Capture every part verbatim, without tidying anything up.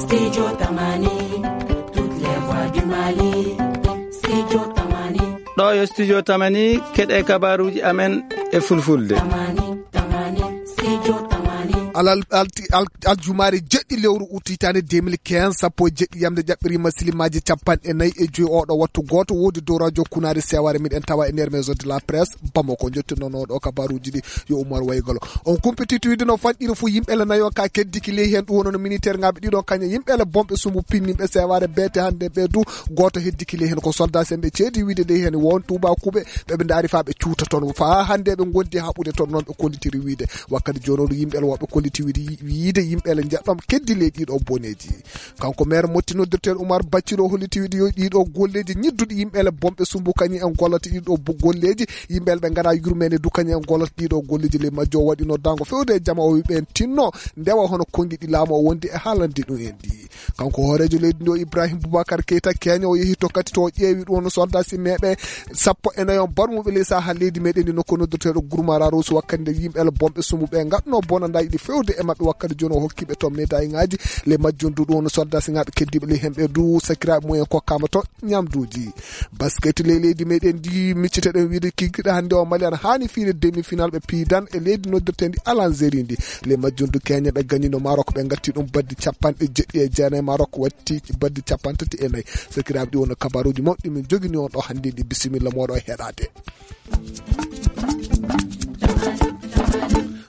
Studio Tamani, toutes les voix du Mali. Studio Tamani. Ɗo yo Studio Tamani, keɗe kabaruuji amen e fulfulde. Tamani, Tamani, Studio Tamani. Alal, alti-, al-, aljumaare jeɗɗi lewru ut hitaande deux mille quinze, sappo e jeɗɗi yamde jaɓɓiriima silimaaji capanɗe nayi e joyi oɗo wattu gooto woodi dow radio kunaari sewaare miɗen tawa e nder maison de la presse Bamako. Jottinoono ɗo kabaruuji ɗi yo Umar Waygolo. On kumpitiiɗo wiide no fanɗiri fuu yimɓe le nayo ka keddiki ley heen, ɗum wonno militaire ŋaaɓe ɗiɗo kañe yimɓe le bonɓe sumbu pinniiɓe sewaare beete hannde ɓe du gooto heddiki ley heen. Ko soldat sen ɓe ceedi wiide ley heen won tuubakuuɓe ɓe ɓe ndaari faa ɓe cuuta toon. Faa hannde ɓe ngondi haɓude toon noon ɓe kollitiri wiide. Wakkati jooni o ɗo yimɓe le woɓɓe kolliti wiide, wiide yimɓe le njeɗɗon keddi ley ɗiɗo boneeji. Kanko maire Motti noddirteeɗo Umar Bacciro holliti wiide yo ɗiɗo golleeji ñidduɗi yimɓe le bonɓe sumbu kañi en gollata ɗiɗo bo-, golleeji, yimɓe le ɓe ngara yurmeende du kañi en gollata ɗiɗo golleeji. Ley majjo o waɗi noddaango fewde e jama o wi ɓeen tinno ndewa hono konngi ɗi laamu o wondi e haalande ɗum en ɗi. Kanko hooreejo leydi ndi o Ibrahim Boubacar Keita Kenya o yehi to kadi to o ƴeewi ɗum no soldat si meeɓe sappo e nayo barmuɓe ley saha leydi meɗen ndi nokku noddirteeɗo Gurmara Rosu wakkati nde yimɓe le bonɓe sumbu ɓe ngatno bonandaaji ɗi fewde e maɓɓe wakkati jooni o hokkiɓe to médaille ŋaaji. Ley majjum du ɗum no soldat si ŋaaɓe keddiiɓe ley hemɓe du sakiraaɓe mumen kokkaama to ñamduuji. Basket ley leydi meɗen ndi micciteɗen wiide kikiɗe hannde o Mali ana haani fiide demi final ɓe piidan e leydi noddirtendi Algérie ndi. Ley majjum du Kenya ɓe gañino Maroc ɓe ngatti ɗum baddi capanɗe jeɗɗi e jeenayi, Maroc watti baddi capantati e nayi. Sakiraaɓe ɗi wonno kabaruuji mawɗi min jogini on ɗo hannde ndi bisimilla mooɗo e heɗaade.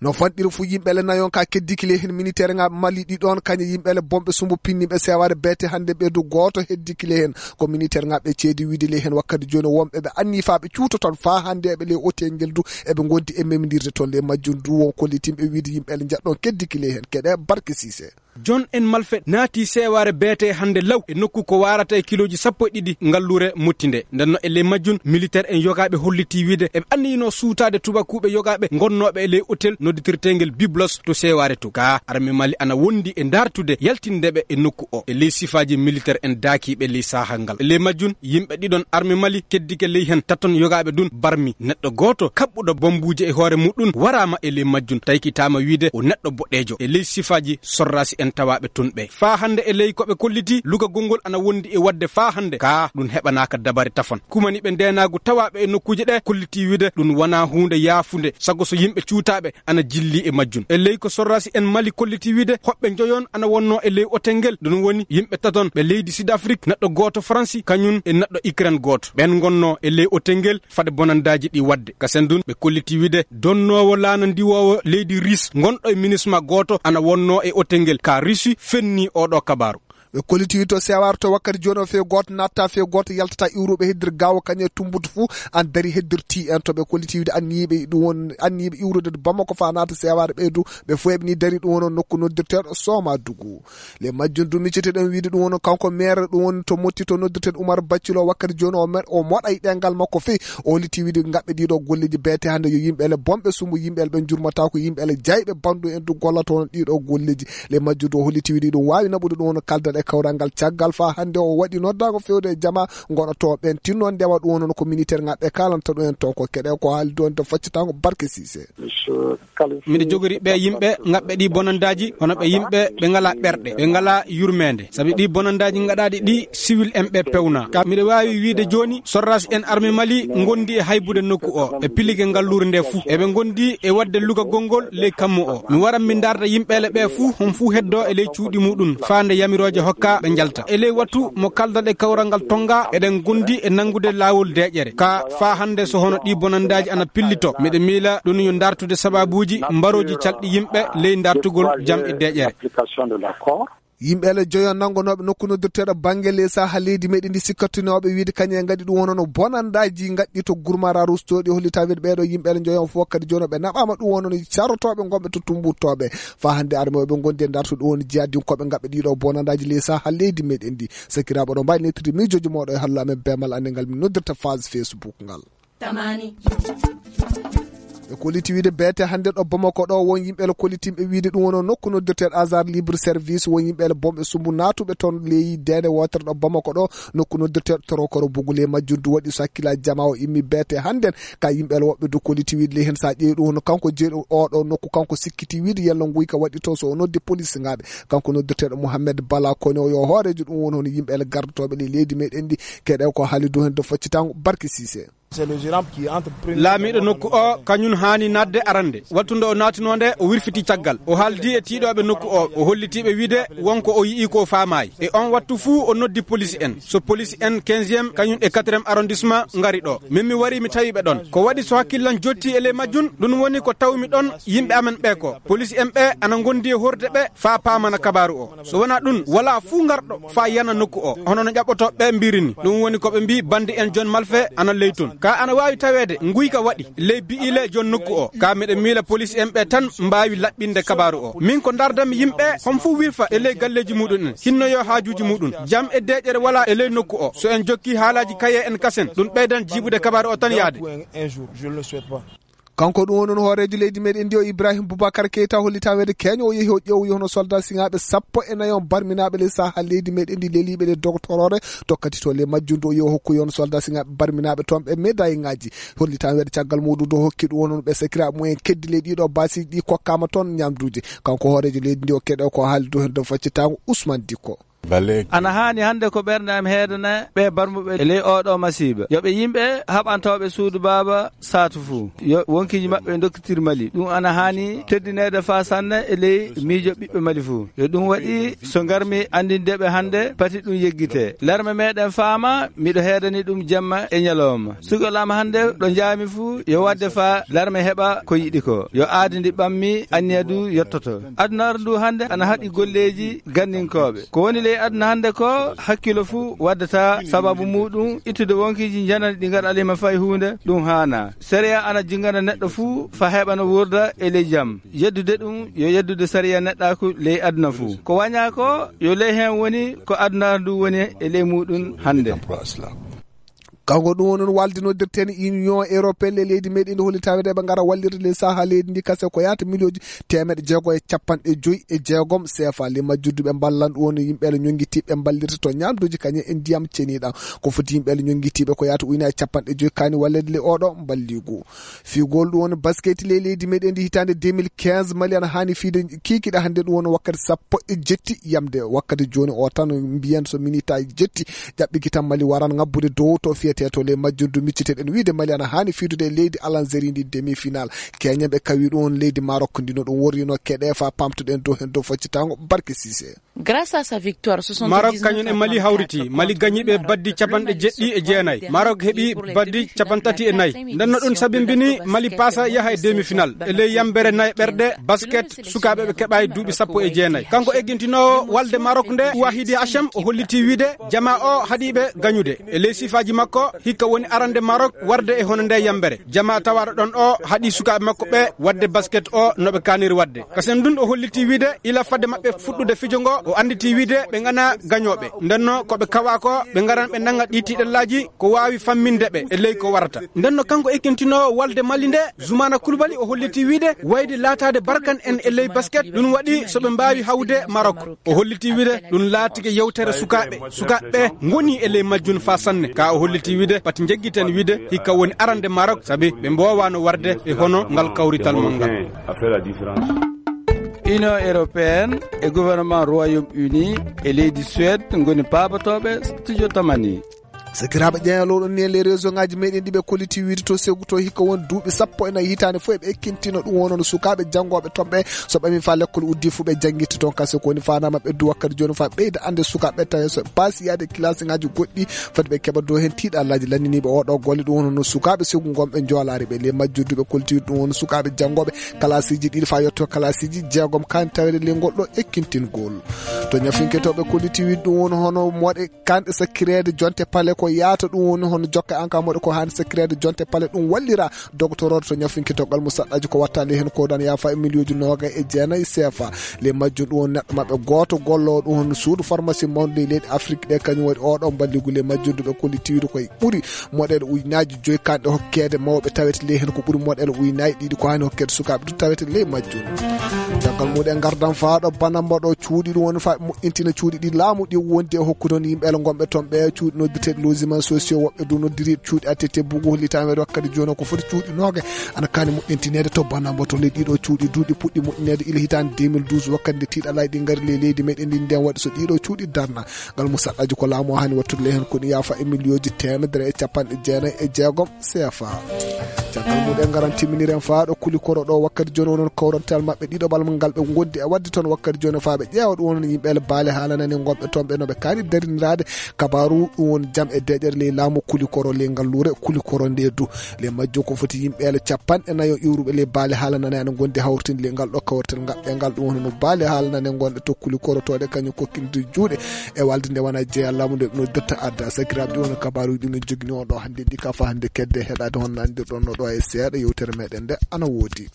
No fanɗiri fu yimɓe le nayon ka keddiki le heen militaire ŋaaɓe Mali ɗi ɗoon kañe yimɓe le bonɓe sumbu pinniiɓe sewaare beete hannde ɓe du gooto heddiki le heen. Ko militaire ŋaaɓe ceedi wiide le heen wakkati jooni wonɓe ɓe anni faa ɓe cuuta toon faa hannde eɓe le otel ngel du eɓe ngondi e memindirde toon le majjum du won kollitinɓe wiide yimɓe le njaɗɗon keddiki le heen keɗe barke Sise. Jon en malfe naati seewaare beete hannde law e nokku ko waarata e kilooji sappo e ɗiɗi ngalluure mottinde. Nden no e ley majjum, militaire en yogaaɓe hollitii wiide eɓe anniyino suutaade tubakuuɓe yogaaɓe ngonnooɓe e ley otel nodditirteengel Biblos to seewaare to. Gaa arme Mali ana wondi e ndaartude yaltinde ɓe e nokku o. E ley sifaaji militaire en daakiiɓe ley saha ngal. E ley majjum, yimɓe ɗiɗon arme Mali keddike ley hen taton yogaaɓe ɗum barmi. Neɗɗo gooto kaɓɓuɗo bombuuje e hoore muɗum waraama e ley majjum, taykitaama wiide o neɗɗo boɗeejo. E ley sifaaji sorraasi en tawaaɓe toon ɓe. Faa hannde e ley ko ɓe kolliti, lugagol ngol ana wondi e waɗde faa hannde. Kaa ɗum heɓanaaka dabare tafon. Kumaniiɓe ndeenaagu tawaaɓe e nokkuuje ɗe kollitii wiide ɗum wonaa huunde yaafunde. Sago so yimɓe cuutaaɓe ana jilli e majjum. E ley ko sorraasi en Mali kolliti wiide hoɓɓe njoyon ana wonno e ley otel ngel. Ɗum woni yimɓe taton ɓe leydi Sud Afrik, neɗɗo gooto Faransi, kañum e neɗɗo Ukraine gooto. Ɓen ngonno e ley otel ngel fade bonandaaji ɗi waɗde. Kasen ɗum ɓe kolliti wiide donnoowo laana ndiwoowo leydi Ris ngonɗo e minisma gooto ana wonno e otel ngel. Ka Risi fenni oɗo kabaaru. Ɓe kolliti to sewar to wakkati jooni o fee gooto natta fee gooto yaltata iwruɓe heddir gawo kañe tumbutu fuu an dari heddirti en to ɓe kolliti wiide anniyiɓe ɗum won anniyiɓe iwrude Bamako fa naata sewar ɓe du ɓe fuu eɓe ni dari ɗum wono nokku noddirteeɗo Soma Dugu. Le majjum du micceteɗen wiide ɗum wono kanko maire ɗum woni to motti to noddirteeɗo Umar Baccilo wakkati jooni o mer-, o moɗa e ɗengal makko fii o holliti wiide ngaɓɓe ɗiɗo golleji beete hannde yo yimɓe ele bonɓe sumu yimɓe ele ɓe jurmata ko yimɓe ele jayɓe bandu en du gollata on ɗiɗo golleji. Le majjum du o holliti wiide ɗum waawi naɓude ɗum wono kaldal e kawral ngal caggal faa hannde o waɗi noddaango fewde e jama ngoɗoto ɓen tinno ndewa ɗum wono ko militaire ngaɓɓe kalanta ɗum en to ko keɗe ko haali ɗon to faccatango barke Sise. Miɗo jogori ɓe yimɓe ngaɓɓe ɗi bonandaaji, hono ɓe yimɓe ɓe ngalaa ɓerɗe, ɓe ngalaa yurmeende. Sabi ɗi bonandaaji ngaɗaaɗi ɗi, siwil en ɓe pewna. Ka miɗo waawi wiide jooni, sorraasi en arme Mali ngondi e haybude nokku o, e pillige ngalluure nde fuu. Eɓe ngondi e waɗde lugagol ngol ley kammu o. Mi waran mi ndaarda yimɓeele ɓe fuu, hon fuu heddo e ley cuuɗi muɗum, faa nde yamirooje hokka ɓe njalta. E ley wattu mo kaldal e kawral ngal Tonga, eɗen ngondi e nanngude laawol deeƴere. Ka faa hannde so hono ɗi bonandaaji ana pillito, miɗo miila ɗum yo ndartude sababuuji mbarooji calɗi yimɓe ley ndartugol jam e deeƴere. Yimɓe ele joyo nanngonooɓe nokku noddirteeɗo bannge ley saha leydi meɗen ndi sikkatunooɓe wiide kañum en ngaɗi ɗum wono no bonandaaji ngaɗɗi to Gurmara Rustooɗi hollita wiide ɓeeɗo yimɓe ele joyo on fof kadi jooni ɓe naɓaama ɗum wono no carotooɓe ngonɓe to tumbuttooɓe. Faa hannde arme o ɓe ngondi e ndartude ɗum woni jihadinkooɓe ngaɓɓe ɗiɗo bonandaaji ley saha leydi meɗen ndi. Sakiraaɓe oɗo mbaawi nettirde miijooji mooɗo e hallo amen beemal annde ngal min noddirta phase Facebook ngal. Tamani. Ɓe kolliti wiide beete hannde ɗo Bamako ɗo, won yimɓe ele kollitiiɓe wiide ɗum woni nokku noddirteeɗo Hasard Libre Service, won yimɓe ele bomɓe sumbu naatuɓe toon ley deende wootere ɗo Bamako ɗo, nokku noddirteeɗo Torokoro. Bugu ley majjum du waɗi so hakkillaaji jamaa o immi beete hannde. Ka yimɓe ele woɓɓe du kolliti wiide ley heen, so a ƴeewi ɗum hono kanko jeeɗo oo ɗo nokku, kanko sikkiti wiide yalla nguyka waɗi toon, so o noddi polisinaaɓe. Kanko noddirteeɗo Mouhamed Bala Kone o yo hooreejo ɗum woni hono yimɓe ele gardotooɓe ley leydi meɗen ndi, keɗe ko haali du heen de foccitaango Barke Sise. Laamiiɗo nokku o, kañum haani naatde arande. Wattu nde o naatunoo nde, o wirfiti caggal. O haaldi e tiiɗooɓe nokku o, o holliti ɓe wiide won ko o yi'i ko o faamaay. E on wattu fuu, o noddi poliisi en. So poliisi en quinzième, kañum e quatrième arrondissement ngari ɗo. Min mi wari, mi tawi ɓe ɗon. Ko waɗi so hakkillan jotti e ley majjum, ɗum woni ko tawmi ɗon yimɓe amen ɓe ko. Poliisi en ɓe ana ngondi e horde ɓe faa paamana kabaaru o. So wonaa ɗum, walaa fuu ngarɗo faa yana nokku o, hono no ƴaɓɓotooɓe ɓe mbiiri ni. Ɗum woni ko ɓe mbii bandi en jon malfe ana ley ton. Ka ana waawi taweede nguyka waɗi ley bi'ile jon nokku o. Ka miɗo miila poliisi en ɓe tan mbaawi laɓɓinde kabaaru o. Min ko ndaardanmi yimɓe, hon fuu wirfa e ley galleeji muuɗum en, hinnoyoo haajuuji muuɗum. Jam e deeƴere walaa e ley nokku o. So en jokki haalaaji kaye en kasen, ɗum ɓeydan jiiɓude kabaaru o tan yaade. Kanko ɗum woni hooreejo leydi meɗen ndi o Ibrahim Boubacar Keita, hollitaa weede keeño o yehi o ƴeewoyi hono soldat siŋaaɓe sappo e nayo barminaaɓe ley saha leydi meɗen ndi leliiɓe ɗe dogotoroore tokkati to ley majjum du o yehi o hokkoyi hono soldat siŋaaɓe barminaaɓe toon ɓe médaille ŋaaji. Hollitaa weede caggal muuɗum du hokki ɗum woni ɓe sakiraaɓe mumen keddi ley ɗiɗo baasiiji ɗi kokkaama toon ñamduuji. Kanko hooreejo leydi ndi o keɗo ko haali du heen dow faccitaango Ousmane Dikko. Ana haani hannde ko ɓernde am heedana ɓe barmuɓe e ley oo ɗoo masiiba. Yo ɓe yimɓe haɓantooɓe suudu baaba saatu fuu. Yo wonkiiji maɓɓe ndokkitir Mali. Ɗum ana haani teddineede faa sanne e ley miijo ɓiɓɓe Mali fuu. Yo ɗum waɗi so ngarmi anndinde ɓe hannde pati ɗum yeggitee. Larme meɗen faama, miɗo heedani ɗum jamma e ñalooma. Sugol am hannde ɗo njaami fuu, yo waɗde faa larme heɓa ko yiɗi ko. Yo aadi ndi ɓammi, anniya du yottoto. Adunaaru ndu hannde ana haɗi golleeji ganninkooɓe. Ko woni ley aduna hannde ko, hakkilo fuu waddata sababu muuɗum ittude wonkiiji janani ɗi ngaɗaliima fay huunde, ɗum haanaa. Sariya ana jingana neɗɗo fuu faa heɓa no wuurda e ley jam. Yeddude ɗum yo yeddude sariya neɗɗaaku ley aduna fuu. Ko wañaa ko, yo ley heen woni ko adunaaru ndu woni e ley muuɗum hannde. Kanko ɗum woni no waldinodirten Union Européenne e leydi meɗen ndi holli tawede eɓe ngara wallirde ley saha leydi ndi kase ko yahata miliyonji teemeɗɗe jeego e capanɗe joyi e jeegom C F A. Ley majjuddu ɓe mballan ɗum woni yimɓe le ñonngitiiɓe mballirta to ñamduuji kañum e ndiyam ceniɗam. Ko foti yimɓe le ñonngitiiɓe ko yahata ujunaaji capanɗe joyi kaani wallede ley oɗo mballigu. Figol ɗum woni basket ley leydi meɗen ndi hitaande deux mille quinze, Mali ana haani fiide kiikiɗe hannde ɗum woni wakkati sappo e jetti yamde. Wakkati jooni o tan mbiyen so minitaji jetti ƴaɓɓiki tan Mali waran ngabbude dow to fiyete to ley majjuddu micciteɗen wiide Mali ana haani fiidude e leydi Alanzeri ndi demi-final. Keñen ɓe kawi ɗum woni leydi Maroc ndi no ɗum worrino keɗe fa pamtuɗen dow hen dow foccitaango Barke Sise. Grâce à sa victoire, Maroc kañum e Mali hawriti. Mali gañiiɓe baddi capanɗe jeɗɗi e jeenayi. Maroc heɓi baddi capantati e nayi. Nden no ɗum sabimbini Mali paasa yaha e demi-final. E ley yambere nayi ɓerɗe basket sukaaɓe ɓe keɓaay duuɓi sappo e jeenayi. Kanko eggintinoowo walde Maroc nde, Wahidi Hachem, o holliti wiide jamaa o haɗiiɓe gañude. E ley sifaaji makko, hikka woni arande Maroc warde e hono nde yambere. Jamaa tawaaɗo ɗon o haɗi sukaaɓe makko ɓe wadde basket o no ɓe kaaniri wadde. Kasen ndun o holliti wiide ila fadde maɓɓe fuɗɗude fijo ngo, o anditi wiide ɓe ngana gañooɓe. Nden no ko ɓe kawa ko, ɓe ngaran ɓe nanga ɗi tiiɗallaaji ko waawi famminde ɓe e ley ko warata. Nden no kanko ekkintinoowo walde Mali nde, Zoumana Coulibaly, o holliti wiide wayde laataade barkan en e ley basket, ɗum waɗi so ɓe mbaawi hawde Maroc. O holliti wiide ɗum laatike yewtere sukaaɓe. Sukaaɓe ɓe ngoni e ley majjum faa sanne. Ka o holliti wiide pati njeggiten wiide hikka woni arande Maroc, sabi ɓe mboowaano warde e hono ngal kawrital mon ngal. Union européenne e gouvernement Royaume-Uni e leydi Suède ngoni paabotooɓe studio Tamani. Sakiraaɓe ƴeeñalooɗon ni e les réseau ngaji meɗen ɗi ɓe kolliti wiide to Ségou to hikka won duuɓi sappo e nayi hitaande fof eɓe ekkintina ɗum wonono sukaaɓe janngooɓe toon ɓe so ɓami faa lekkol uddi fuu ɓe janngirta toon kase ko woni faandaama ɓeddu wakkati jooni faa ɓeyda annde sukaaɓe tawi so ɓe paasi yaade classe ngaji goɗɗi foti ɓe keɓa dow heen tiiɗallaaji lanndiniiɓe oo ɗoo golle ɗum wonono sukaaɓe Ségou ngon ɓe njoolaari ɓe les majjuddu ɓe kolliti ɗum woni sukaaɓe janngooɓe kalaasiiji ɗiɗi faa yetto kalaasiiji jeegom kaan tawede ley ngol ɗoo ekkintingol. To ñafinke to ɓe kolliti wiide ɗum woni hono moɗe kanɗe sakkireede jonte pale ko O yaata ɗum woni hono jokka en ka moɗo ko hani secret de jonte pale ɗum wallira dogotoroɗo to ñafinki doggal mo saɗɗaji ko watta ley hen ko dan yafa e miliyonji noga e jeenayi sefa. Ley majjum ɗum woni neɗɗo maɓɓe gooto gollowo ɗum hono suudu pharmacie mawɗo ley leyɗe Afrique ɗe kañum waɗi oɗo mballigu. Ley majjum ɗum ɓe kollitiiru koye ɓuri moɗel ujunaji joyi kanɗe hokkede mawɓe tawete ley hen ko ɓuri moɗel ujunaji ɗiɗi ko hani hokkede sukaɓe du tawete ley majjum. Caggal muɗum gardan faɗo banamba ɗo cuuɗi ɗum woni fa moƴƴintina cuuɗi ɗi laamu ɗi wondi e hokkude on yimɓe gonɓe toon ɓe cuuɗi noddirteɗi logement sociaux woɓɓe du noddiri cuuɗi attete bugu hollitami waɗi wakkati joni ko foti cuuɗi noga ana kani moƴƴintinede to banamba to ley ɗiɗo cuuɗi duuɗi puɗɗi moƴƴinede ila hitande deux mille douze wakkati nde tiɗalay ɗi ngari ley leydi meɗen ndi nden waɗi so ɗiɗo cuuɗi darna ngal musaɗɗaji ko laamu o hani wattude ley hen ko ɗi yafa e million ji temedere e capanɗe jeenayi e jeegom C F A. Caggal muɗum en ngaran timminiren faaɗo kuli koro ɗo wakkati joni onon kawrantal maɓɓe ɗiɗo bal ngal ɓe gondi e wadde toon wakkati joni faa ɓe ƴeewa ɗum woni yimɓe ele baale haalanani gonɓe toon ɓe no ɓe kaani dariniraade kabaru ɗum woni jam e deƴere ley laamu kuli koro ley ngal luure kuli koro nde du. Ley majjo ko foti yimɓe ele capanɗe nayo iwruɓe ley baale haalanani ana gondi hawrtinde ley ngal ɗo kawrital ngaɓɓe ngal ɗum woni no baale haalanani gonɗe tokkuli korotoɗe kañum kokkinde juuɗe e walde nde wona jeeya laamu nde no dotta adda sakiraaɓe ɗi wona kabaruji ɗi min jogini on ɗo hannde ɗi kafa hannde kedde heɗade hon nandirɗon no ɗo e seeɗa yewtere meɗen nde ana woodi.